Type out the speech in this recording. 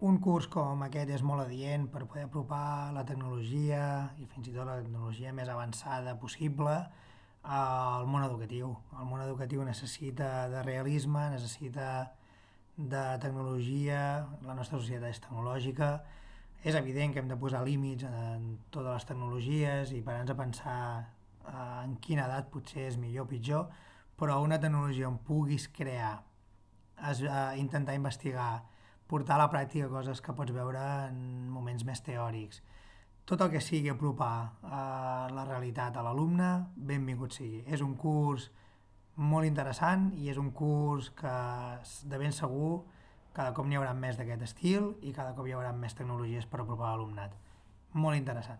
Un curs com aquest és molt adient per poder apropar la tecnologia i fins i tot la tecnologia més avançada possible al món educatiu. El món educatiu necessita de realisme, necessita de tecnologia, la nostra societat és tecnològica, és evident que hem de posar límits en totes les tecnologies i parar-nos a pensar en quina edat potser és millor o pitjor, però una tecnologia on puguis crear, intentar investigar, portar a la pràctica coses que pots veure en moments més teòrics. Tot el que sigui apropar la realitat a l'alumne, benvingut sigui. És un curs molt interessant i és un curs que de ben segur cada cop n'hi haurà més d'aquest estil i cada cop hi haurà més tecnologies per apropar l'alumnat. Molt interessant.